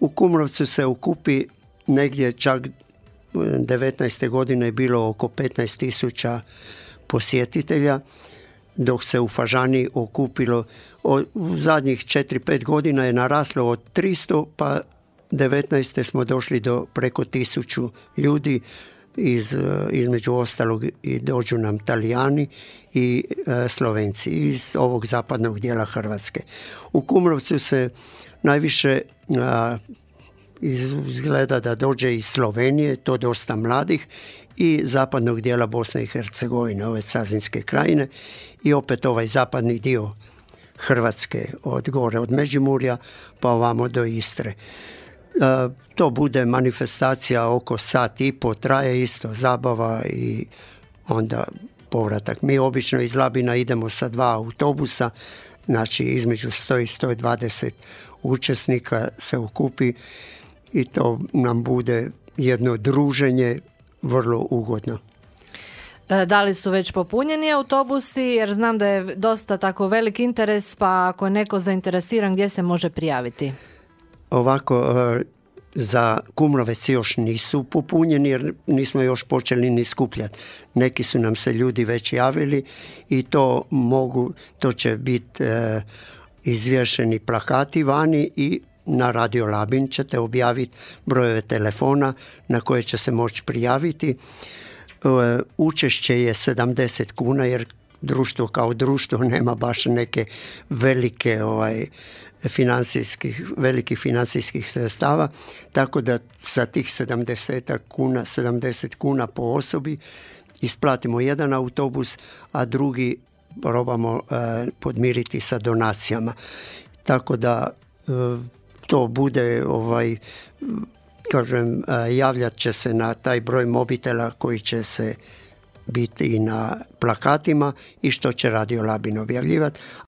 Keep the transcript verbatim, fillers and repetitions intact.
U Kumrovcu se okupi negdje čak devetnaeste godine je bilo oko petnaest tisuća posjetitelja, dok se u Fažani okupilo u zadnjih četiri pet godina je naraslo od tristo, pa devetnaeste smo došli do preko tisuću ljudi. Iz, između ostalog i dođu nam Talijani i e, Slovenci iz ovog zapadnog dijela Hrvatske. U Kumrovcu se najviše a, izgleda da dođe iz Slovenije, to dosta mladih, i zapadnog dijela Bosne i Hercegovine, ove Cazinske krajine, i opet ovaj zapadni dio Hrvatske od gore od Međimurja pa ovamo do Istre. Uh, to bude manifestacija oko sat i po, traje isto zabava i onda povratak. Mi obično iz Labina idemo sa dva autobusa, znači između sto i sto dvadeset učesnika se okupi i to nam bude jedno druženje vrlo ugodno. Da li su već popunjeni autobusi, jer znam da je dosta tako velik interes, pa ako je neko zainteresiran, gdje se može prijaviti? Ovako, za Kumrovec još nisu popunjeni jer nismo još počeli ni skupljati. Neki su nam se ljudi već javili i to mogu, to će biti e, izvješeni plakati vani i na Radio Labin ćete objaviti brojeve telefona na koje će se moći prijaviti. E, učešće je sedamdeset kuna jer društvo kao društvo nema baš neke velike ovaj, financijskih, velikih financijskih sredstava, tako da sa tih sedamdeset kuna, sedamdeset kuna po osobi isplatimo jedan autobus, a drugi probamo e, podmiriti sa donacijama. Tako da e, to bude, ovaj, kažem, e, javljat će se na taj broj mobitela koji će se biti i na plakatima i što će Radio Labin objavljivati,